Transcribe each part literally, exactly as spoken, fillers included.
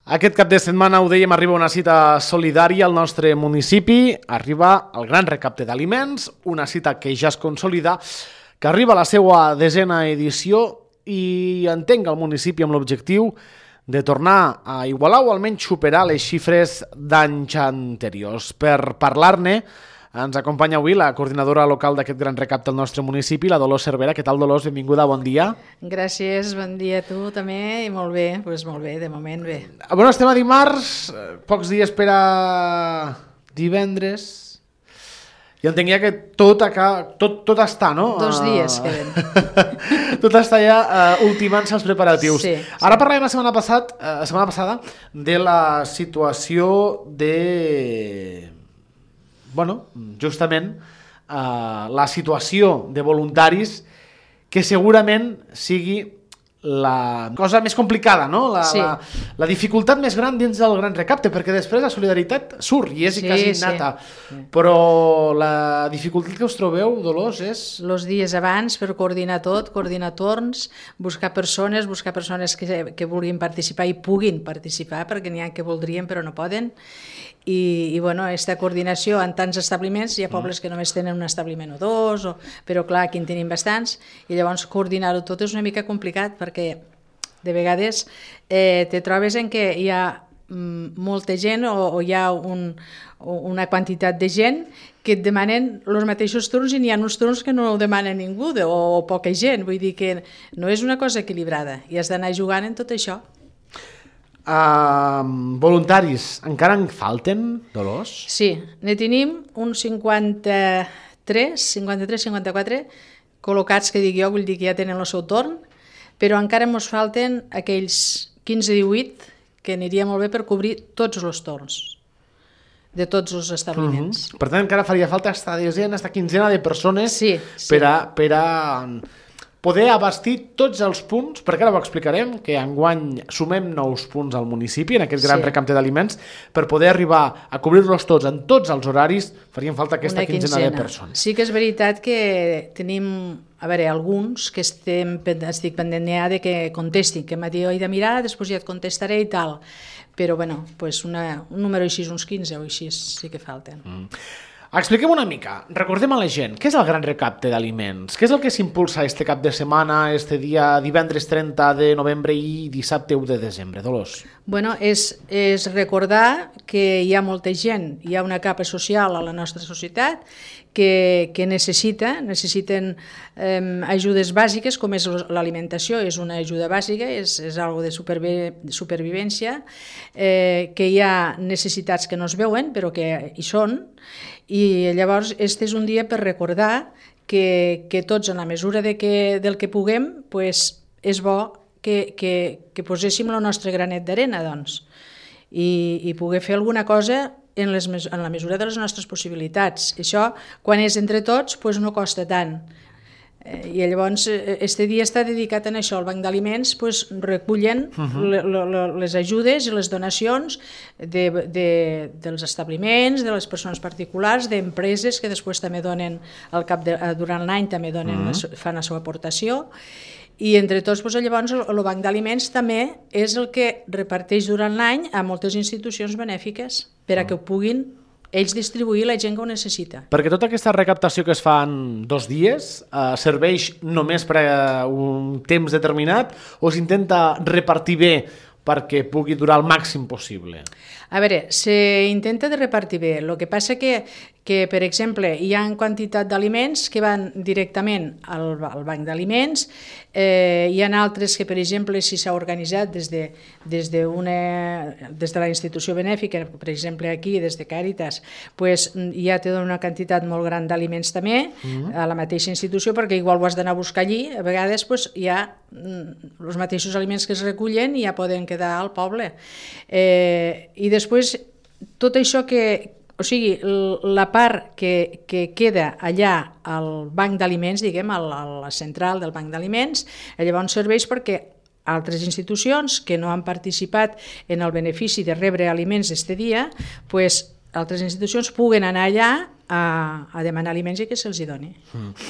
Aquest cap de setmana, ho dèiem, arriba una cita solidària al nostre municipi, arriba el gran recapte d'aliments, una cita que ja es consolida, que arriba a la seva desena edició i entenc el municipi amb l'objectiu de tornar a igualar o almenys superar les xifres d'anys anteriors. Per parlar-ne, ens acompanya avui la coordinadora local d'aquest gran recapte al nostre municipi, la Dolors Cervera. Què tal, Dolors? Benvinguda, bon dia. Gràcies, bon dia a tu també, i molt bé, doncs molt bé, de moment bé. Bueno, estem a dimarts, pocs dies per a divendres, i entenc ja que tot, acá, tot, tot està, no? Dos dies queden. Tot està ja uh, ultimant-se els preparatius. Sí, Ara sí. parlàvem la setmana, passat, uh, la setmana passada de la situació de... Bueno, justament uh, la situació de voluntaris que segurament sigui la cosa més complicada, no? La, Sí. la, la dificultat més gran dins del gran recapte, perquè després la solidaritat surt i és Sí, quasi sí. innata. Però la dificultat que us trobeu, Dolors, és... Els dies abans per coordinar tot, coordinar torns, buscar persones, buscar persones que, que vulguin participar i puguin participar, perquè n'hi ha que voldrien però no poden. I, i bueno, aquesta coordinació en tants establiments, hi ha pobles que només tenen un establiment o dos, o, però clar, aquí en tenim bastants, i llavors coordinar-ho tot és una mica complicat, perquè de vegades eh, te trobes en què hi ha mm, molta gent o, o hi ha un, una quantitat de gent que et demanen els mateixos turns i n'hi ha uns turns que no ho demana ningú de, o, o poca gent, vull dir que no és una cosa equilibrada i has d'anar jugant en tot això. Uh, voluntaris, encara en falten, Dolors? Sí, ne tenim uns cinquanta-tres, cinquanta-tres, cinquanta-quatre col·locats, que dic jo, vull dir que ja tenen el seu torn, però encara ens falten aquells quinze divuit que aniria molt bé per cobrir tots els torns de tots els establiments. Uh-huh. Per tant, encara faria falta esta desena, esta quinzena de persones Sí, sí. per a, per a poder abastir tots els punts, perquè ara ho explicarem, que enguany sumem nous punts al municipi en aquest gran Sí. recapte d'aliments, per poder arribar a cobrir-los tots en tots els horaris, farien falta aquesta Una quinzena de persones. Sí que és veritat que tenim, a veure, alguns que estem, estic pendent ja de que contestin, que m'ha dit, he de mirar, després ja et contestaré i tal. Però, bueno, pues una, un número així, uns quinze o així, sí que falten. Mm. Expliquem una mica, recordem a la gent, què és el gran recapte d'aliments? Què és el que s'impulsa este cap de setmana, este dia divendres trenta de novembre i dissabte u de desembre, Dolors? Bueno, és, és recordar que hi ha molta gent, hi ha una capa social a la nostra societat que, que necessita, necessiten eh, ajudes bàsiques, com és l'alimentació, és una ajuda bàsica, és, és algo de supervi supervivència, eh, que hi ha necessitats que no es veuen, però que hi són, i llavors este és un dia per recordar que, que tots, en la mesura de que, del que puguem, pues, és bo que, que, que poséssim el nostre granet d'arena, doncs, i, i poder fer alguna cosa en, les, en la mesura de les nostres possibilitats. Això, quan és entre tots, pues no costa tant. Eh, I llavors, este dia està dedicat a això. El Banc d'Aliments pues, recullen uh-huh. le, le, les ajudes i les donacions de, de, dels establiments, de les persones particulars, d'empreses que després també donen, al cap de, durant l'any també donen, uh-huh. fan la seva aportació. I entre tots, doncs, llavors, el Banc d'Aliments també és el que reparteix durant l'any a moltes institucions benèfiques per a que ho puguin ells distribuir la gent que ho necessita. Perquè tota aquesta recaptació que es fa en dos dies eh, serveix només per a un temps determinat o s'intenta repartir bé perquè pugui durar el màxim possible? A veure, s'intenta de repartir bé. El que passa que, que per exemple, hi ha quantitat d'aliments que van directament al, al banc d'aliments, eh, hi ha altres que, per exemple, si s'ha organitzat des de, des, de una, des de la institució benèfica, per exemple aquí, des de Càritas, pues, ja té una quantitat molt gran d'aliments també, mm-hmm. a la mateixa institució, perquè igual ho has d'anar a buscar allí, a vegades pues, hi ha mm, els mateixos aliments que es recullen i ja poden quedar al poble. Eh, I després, tot això que, o sigui, la part que, que queda allà al banc d'aliments, diguem, a la central del banc d'aliments, llavors serveix perquè altres institucions que no han participat en el benefici de rebre aliments este dia, pues, altres institucions puguen anar allà a, a demanar aliments i que se'ls hi doni. Mm.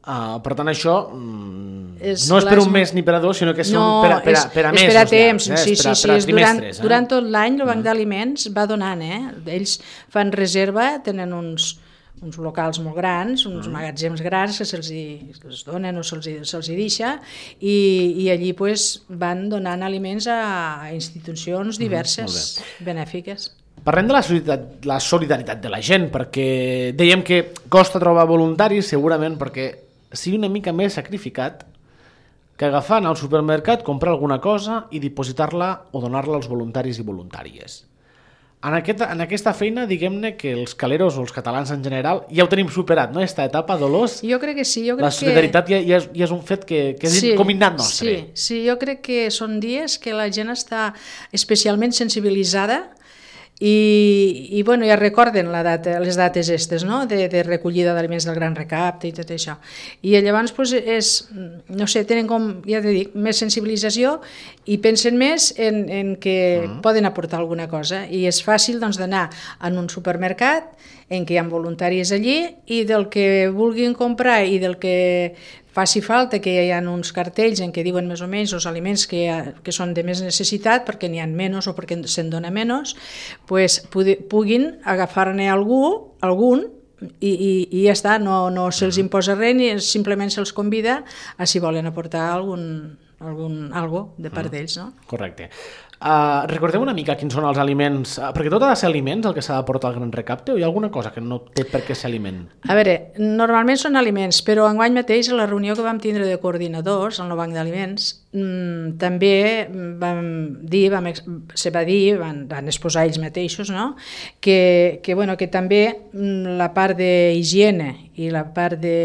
Uh, per tant, això mm, És no és per les- un mes ni per a dos, sinó que són No, per a, per a, és- per a és mesos. per a temps, llargs, eh? sí, És per a, sí, per a sí, és durant, trimestres. durant Eh? tot l'any el Banc d'Aliments va donant, eh? Ells fan reserva, tenen uns, uns locals molt grans, uns magatzems grans que se'ls hi- els donen o se'ls hi- se'ls hi deixa, i, i allí pues, van donant aliments a institucions diverses, benèfiques. Parlem de la solidaritat, la solidaritat de la gent, perquè dèiem que costa trobar voluntaris, segurament perquè sigui una mica més sacrificat que agafar anar al supermercat, comprar alguna cosa i dipositar-la o donar-la als voluntaris i voluntàries. En, aquest, en aquesta feina, diguem-ne que els caleros o els catalans en general ja ho tenim superat, no? Esta etapa, Dolors, Jo crec que sí, jo crec la solidaritat ja, ja, és, ja és un fet que, que és Sí, com innat nostre. Sí, sí, jo crec que són dies que la gent està especialment sensibilitzada i, i bueno, ja recorden la data, les dates estes, no? de, de recollida d'aliments del Gran Recapte i tot això. I llavors pues, és, no sé, tenen com, ja t'he dit, més sensibilització i pensen més en, en que mm. poden aportar alguna cosa. I és fàcil doncs, d'anar en un supermercat en què hi ha voluntaris allí i del que vulguin comprar i del que faci falta, que hi ha uns cartells en què diuen més o menys els aliments que, ha, que són de més necessitat perquè n'hi ha menys o perquè se'n dona menys, pues, puguin agafar-ne algú, algun i, i, i ja està, no, no se'ls imposa res ni simplement se'ls convida a si volen aportar algun, algun algo de part d'ells, no? Correcte. Uh, recordem una mica quins són els aliments, uh, perquè tot ha de ser aliments el que s'ha de portar al Gran Recapte o hi ha alguna cosa que no té per què ser aliment? A veure, normalment són aliments, però enguany mateix a la reunió que vam tindre de coordinadors en el Banc d'Aliments mmm, també vam dir, vam, se va dir, van, van exposar ells mateixos, no? que, que, bueno, que també mm, la part d'higiene i la part de,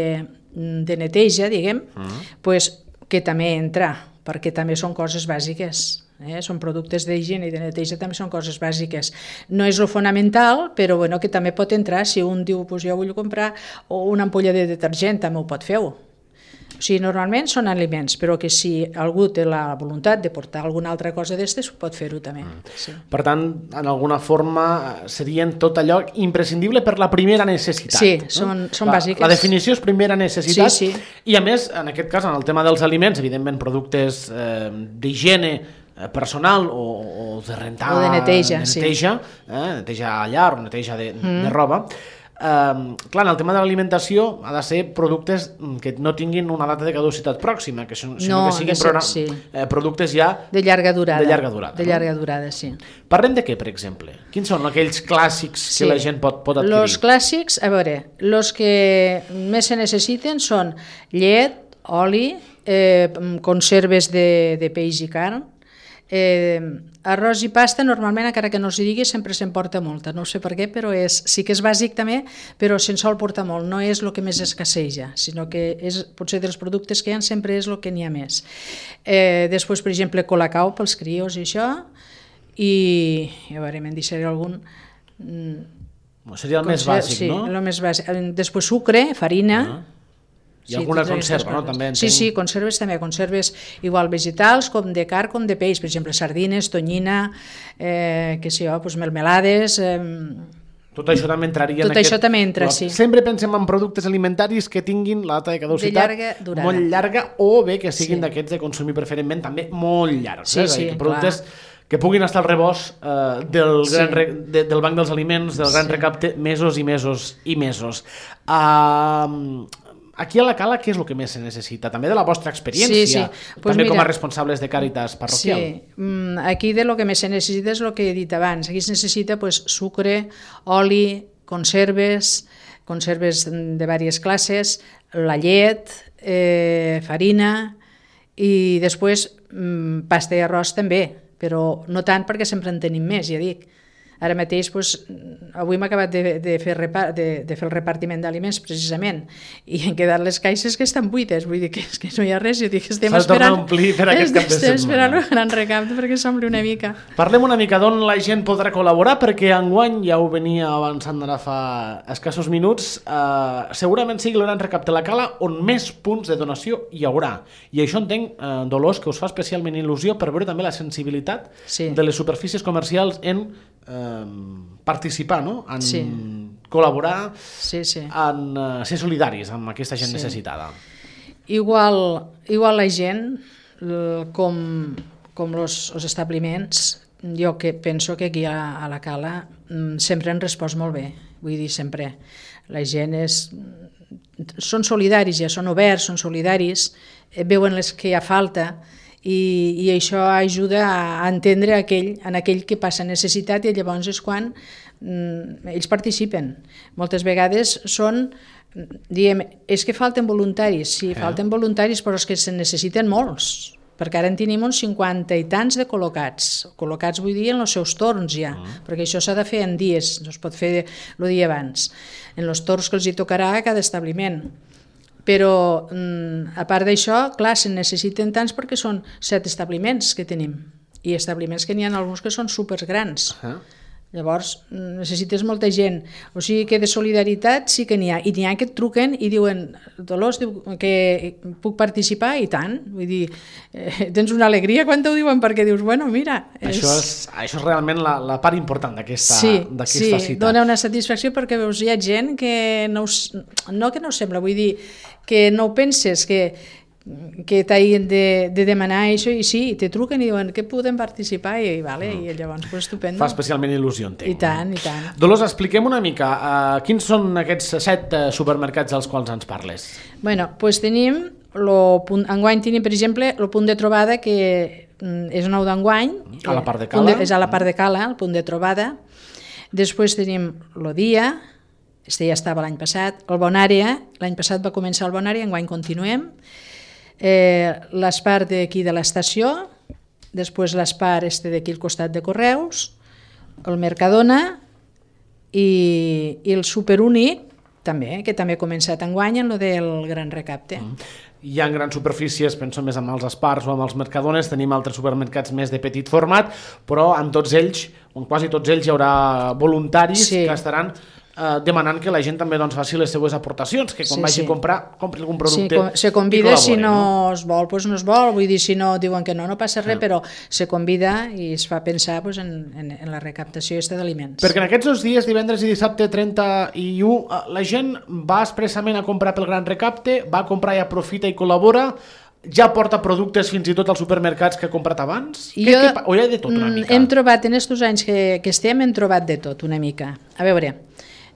de neteja, diguem, mm. pues, que també entra, perquè també són coses bàsiques. Eh? Són productes d'higiene i de neteja, també són coses bàsiques. No és lo fonamental, però bueno, que també pot entrar. Si un diu, pues jo vull comprar una ampolla de detergent, també ho pot fer-ho. O sigui, normalment són aliments, però que si algú té la voluntat de portar alguna altra cosa d'estes, pot fer-ho també. Mm. Sí. Per tant, en alguna forma serien tot allò imprescindible per la primera necessitat. Sí, no? són, són la, bàsiques. La definició és primera necessitat, sí, sí. I a més, en aquest cas, en el tema dels aliments, evidentment productes eh, d'higiene personal o, o de rentar... O de neteja, de neteja, sí. eh, neteja a llar o neteja de, mm. de roba. Uh, clar, en el tema de l'alimentació ha de ser productes que no tinguin una data de caducitat pròxima, que sinó no, que siguin ser, programa, sí. eh, productes ja de llarga durada. De llarga durada, de llarga no? durada, sí. Parlem de què, per exemple? Quins són aquells clàssics sí. que la gent pot, pot adquirir? Els clàssics, a veure, els que més se necessiten són llet, oli, eh, conserves de, de peix i carn, Eh, arròs i pasta normalment, encara que no s'hi digui, sempre se'n porta molta, no sé per què, però és, sí que és bàsic també, però se'n sol portar molt, no és el que més escasseja, sinó que és, potser dels productes que hi ha sempre és el que n'hi ha més. Eh, després, per exemple, colacao pels crios i això, i a veure, me'n deixaré algun... Seria el més bàsic, sí, no? Sí, el més bàsic. Després sucre, farina... Ah. Hi ha sí, alguna conserva, no? També sí, sí, conserves també, conserves igual vegetals com de carn com de peix, per exemple, sardines, tonyina, eh, que sé jo, doncs melmelades... Eh, tot això també entraria tot en aquest... això també entra, però sí. Sempre pensem en productes alimentaris que tinguin la data de caducitat de llarga durada. Molt llarga o bé que siguin sí. d'aquests de consumir preferentment també molt llargs. Sí, eh? sí, productes clar. Que puguin estar al rebost eh, del, sí. gran re, de, del Banc dels Aliments, del Gran sí. Recapte, mesos i mesos i mesos. Uh, Aquí a la Cala, què és el que més se necessita? També de la vostra experiència, sí, sí. Pues també mira, com a responsables de Càritas parroquial. Sí, aquí de lo que més se necessita és el que he dit abans. Aquí es necessita pues, sucre, oli, conserves, conserves de diverses classes, la llet, eh, farina i després mm, pasta i arròs també, però no tant perquè sempre en tenim més, ja dic. Ara mateix, doncs, avui m'he acabat de, de, fer repar, de, de fer el repartiment d'aliments, precisament, i han quedat les caixes que estan buides, vull dir que, és que no hi ha res, jo dic que estem esperant, per aquest cap de estem esperant un gran recapte perquè s'ompli una mica. Parlem una mica d'on la gent podrà col·laborar, perquè enguany, ja ho venia avançant ara fa escassos minuts, eh, segurament sigui el Gran Recapte de la Cala on més punts de donació hi haurà. I això entenc, eh, Dolors, que us fa especialment il·lusió per veure també la sensibilitat sí. de les superfícies comercials en eh, participar, no? En sí. col·laborar, sí, sí. en uh, ser solidaris amb aquesta gent sí. necessitada. igual, igual la gent, com, com els establiments, jo que penso que aquí a, a la Cala sempre han respost molt bé, vull dir, sempre. La gent és... són solidaris, ja són oberts, són solidaris, veuen les que hi ha falta, i, i això ajuda a entendre aquell, en aquell que passa necessitat, i llavors és quan mm, ells participen. Moltes vegades són, diem, és que falten voluntaris, sí, eh? falten voluntaris, però és que se necessiten molts, perquè ara en tenim uns cinquanta i tants de col·locats, col·locats vull dir en els seus torns ja, uh -huh. perquè això s'ha de fer en dies, no es pot fer el dia abans, en els torns que els hi tocarà a cada establiment. Però a part d'això, clar, se necessiten tants perquè són set establiments que tenim, i establiments que n'hi ha alguns que són supergrans. Uh -huh. Llavors necessites molta gent, o sigui que de solidaritat sí que n'hi ha, i n'hi ha que et truquen i diuen, Dolors, diu, que puc participar, i tant, vull dir, eh, tens una alegria quan t'ho diuen, perquè dius, bueno, mira... És... Això, és, això és realment la, la part important d'aquesta sí, sí, cita. Dona una satisfacció perquè veus, hi ha gent que no, us, no que no us sembla, vull dir, que no ho penses, que... que t'hagin de, de demanar això, i sí, te truquen i diuen que podem participar, i, vale, mm. i llavors pues, estupendo. Fa especialment il·lusió, entenc. I tant, i tant. Dolors, expliquem una mica, uh, quins són aquests set uh, supermercats als quals ens parles? Bueno, pues tenim, lo punt, enguany tenim, per exemple, el punt de trobada, que mm, és nou d'enguany. A la part de Cala. De, és a la part de Cala, el punt de trobada. Després tenim lo Dia, este ja estava l'any passat, el Bonària, l'any passat va començar el Bonària, enguany continuem. Eh, l'Espar d'aquí de l'estació, després l'Espar este d'aquí al costat de Correus, el Mercadona i, i el Superúnic també, que també ha començat enguany en el del gran recapte. Mm. Hi ha grans superfícies, penso més amb els Espars o amb els Mercadones, tenim altres supermercats més de petit format, però en tots ells, en quasi tots ells, hi haurà voluntaris sí. que estaran Uh, demanant que la gent també doncs, faci les seues aportacions, que quan sí, vagi sí. a comprar, compri algun producte. Sí, se convida, si no, no es vol, doncs no es vol, vull dir, si no diuen que no, no passa res, no. però se convida i es fa pensar doncs, en, en, en la recaptació d'aliments. Perquè en aquests dos dies, divendres i dissabte, trenta i u, la gent va expressament a comprar pel gran recapte, va a comprar i aprofita i col·labora, ja porta productes fins i tot als supermercats que ha comprat abans? Jo, què, què, o hi ha de tot una mica? Hem trobat, en aquests anys que, que estem, hem trobat de tot una mica. A veure...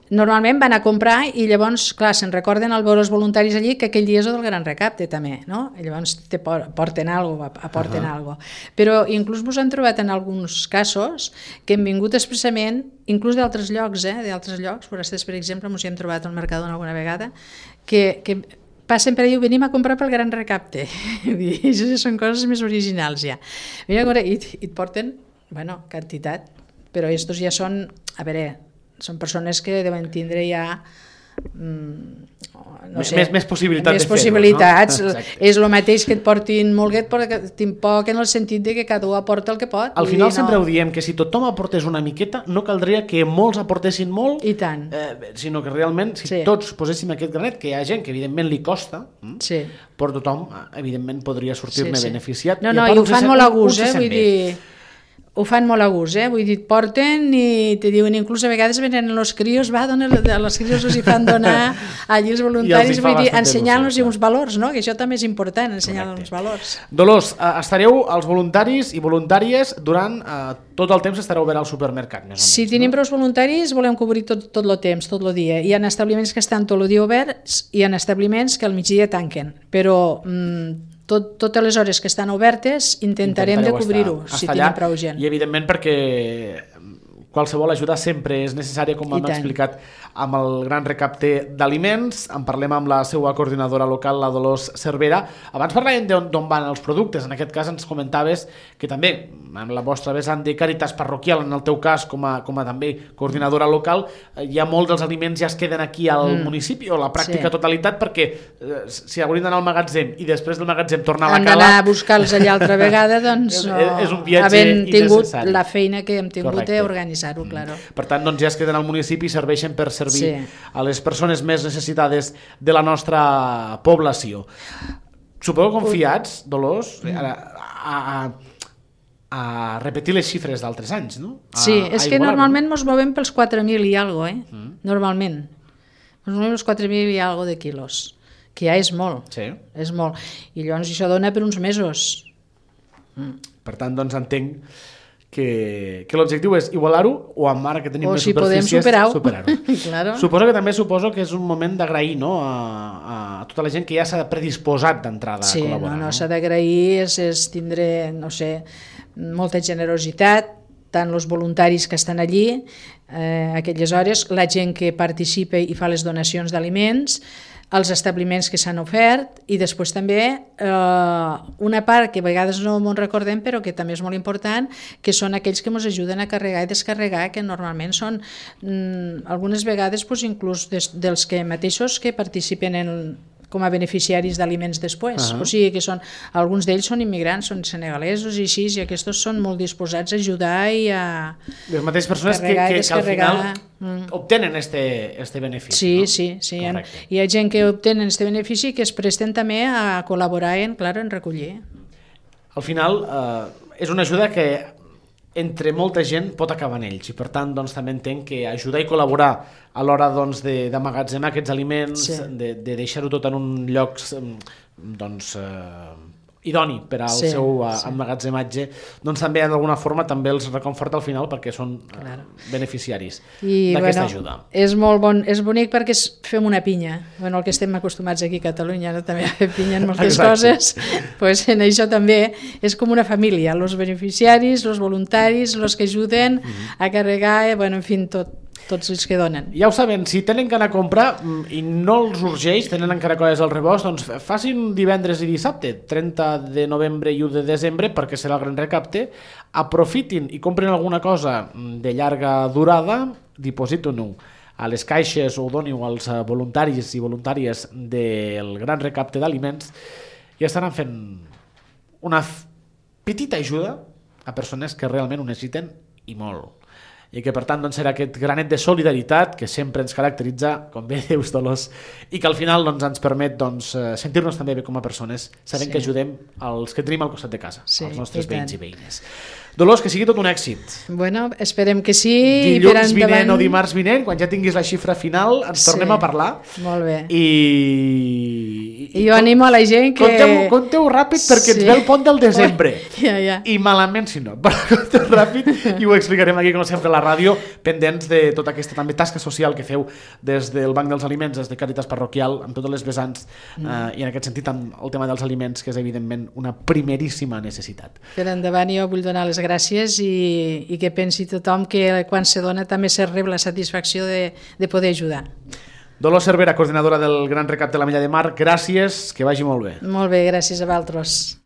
Normalment van a comprar i llavors, clar, se'n recorden al veure els voluntaris allí que aquell dia és el del gran recapte també, no? I llavors te porten alguna cosa, aporten uh -huh. alguna cosa. Però inclús vos han trobat en alguns casos que hem vingut expressament, inclús d'altres llocs, eh, d'altres llocs, forasters, per exemple, ens hi hem trobat al Mercadona alguna vegada, que, que passen per allà i venim a comprar pel gran recapte. I això són coses més originals ja. Mira, i, i et porten, bueno, quantitat, però estos ja són, a veure, són persones que deuen tindre ja no sé, més, més possibilitats més de fer-ho, possibilitats, no? És el mateix que et portin molguet, però que tinc poc en el sentit de que cada un aporta el que pot. Al final sempre no... ho diem, que si tothom aportés una miqueta no caldria que molts aportessin molt, i tant. Eh, sinó que realment si sí. tots poséssim aquest granet, que hi ha gent que evidentment li costa, sí. però tothom evidentment podria sortir-ne sí, sí. beneficiat. No, no, i, i ho fan molt a gust, eh? Vull dir... Ho fan molt a gust, eh? Vull dir, porten i te diuen, inclús a vegades venen els crios, va, donen, a les crios els hi fan donar allí els voluntaris, vull dir, ensenyant-los uns valors, no? Que això també és important, ensenyar-los uns valors. Dolors, eh, estareu els voluntaris i voluntàries durant eh, tot el temps estareu obert al supermercat, més o menys. Si tenim prou voluntaris, volem cobrir tot, tot el temps, tot el dia. Hi ha establiments que estan tot el dia oberts i hi ha establiments que al migdia tanquen, però... Mm, Tot, totes les hores que estan obertes intentarem de cobrir-ho, si tenim prou gent. I evidentment perquè qualsevol ajuda sempre és necessària, com hem explicat amb el gran recapte d'aliments. En parlem amb la seva coordinadora local, la Dolors Cervera. Abans parlàvem d'on van els productes. En aquest cas ens comentaves que també, amb la vostra vessant de Càritas parroquial, en el teu cas com a, com a també coordinadora local, ja molts dels aliments ja es queden aquí al mm. municipi, o la pràctica sí. totalitat, perquè eh, si haurien d'anar al magatzem i després del magatzem tornar a la Cala... Han d'anar a buscar-los allà altra vegada, doncs no, és, és un viatge havent tingut innecessari. La feina que hem tingut d'organitzar. Mm. Claro. Per tant, doncs ja es queden al municipi i serveixen per servir sí. a les persones més necessitades de la nostra població. Suposo confiats, Dolors, a, a, a repetir les xifres d'altres anys, no? A, sí, és que normalment ens movem pels quatre mil i alguna cosa, eh? Mm. Normalment. Ens movem pels quatre mil i alguna de quilos. que ja és molt, Sí. és molt. I llavors això dona per uns mesos. Per tant, doncs entenc que, que l'objectiu és igualar-ho o amb ara que tenim O més si podem superfícies, superar-ho. superar-ho. Claro. Suposo que també suposo que és un moment d'agrair, no?, a, a tota la gent que ja s'ha predisposat d'entrada Sí, a col·laborar. no, no, s'ha d'agrair, és, és tindre, no sé, molta generositat, tant els voluntaris que estan allí, eh, aquelles hores, la gent que participa i fa les donacions d'aliments, els establiments que s'han ofert i després també eh, una part que a vegades no m'ho recordem però que també és molt important, que són aquells que ens ajuden a carregar i descarregar, que normalment són mm, algunes vegades pues, inclús des, dels que mateixos que participen en com a beneficiaris d'aliments després. Uh -huh. O sigui que són, alguns d'ells són immigrants, són senegalesos i així, i aquests són molt disposats a ajudar i a Les mateixes persones que, que, que al final mm. obtenen este, este benefici. Sí, no? sí, sí. Hi ha, Correcte. hi ha gent que obtenen este benefici que es presten també a col·laborar en, clar, en recollir. Al final eh, és una ajuda que entre molta gent pot acabar en ells i per tant doncs, també entenc que ajudar i col·laborar a l'hora doncs, d'emmagatzemar aquests aliments, Sí. de, de deixar-ho tot en un lloc doncs, eh, idoni per al Sí, seu eh, sí. emmagatzematge, doncs també d'alguna forma també els reconforta al final perquè són eh, Claro. beneficiaris I d'aquesta bueno, ajuda. és molt bon, és bonic perquè es, fem una pinya. Bueno, el que estem acostumats aquí a Catalunya, no? També a fer pinya en moltes Exacte. coses, pues en això també és com una família, els beneficiaris, els voluntaris, els que ajuden Mm-hmm. a carregar, eh, bueno, en fi, tot, tots els que donen. Ja ho saben, si tenen que anar a comprar mm, i no els urgeix, tenen encara coses al rebost, doncs facin divendres i dissabte, trenta de novembre i u de desembre, perquè serà el gran recapte, aprofitin i compren alguna cosa mm, de llarga durada, dipositin-ho a les caixes o doniu als eh, voluntaris i voluntàries del gran recapte d'aliments i estaran fent una f- petita ajuda a persones que realment ho necessiten i molt. I que per tant doncs, serà aquest granet de solidaritat que sempre ens caracteritza, com bé dius Dolors, i que al final doncs, ens permet doncs, eh, sentir-nos també bé com a persones, sabent Sí. que ajudem els que tenim al costat de casa, Sí, els nostres i tant. veïns i veïnes. Dolors, que sigui tot un èxit. Bueno, esperem que sí. i per Dilluns vinent endavant- o dimarts vinent, quan ja tinguis la xifra final, ens Sí. tornem a parlar. Molt bé. I... I jo animo a la gent que... Conteu, conteu ràpid perquè ens Sí. ve el pont del desembre. Ja, ja. I malament si no, però conteu ràpid i ho explicarem aquí com sempre a la ràdio, pendents de tota aquesta també tasca social que feu des del Banc dels Aliments, des de Càritas Parroquial, amb totes les vessants mm. eh, i en aquest sentit amb el tema dels aliments, que és evidentment una primeríssima necessitat. Per endavant jo vull donar les gràcies i, i que pensi tothom que quan se dona també se rep la satisfacció de, de poder ajudar. Dolors Cervera, coordinadora del Gran Recapte de la Mella de Mar, gràcies, que vagi molt bé. Molt bé, gràcies a vosaltres.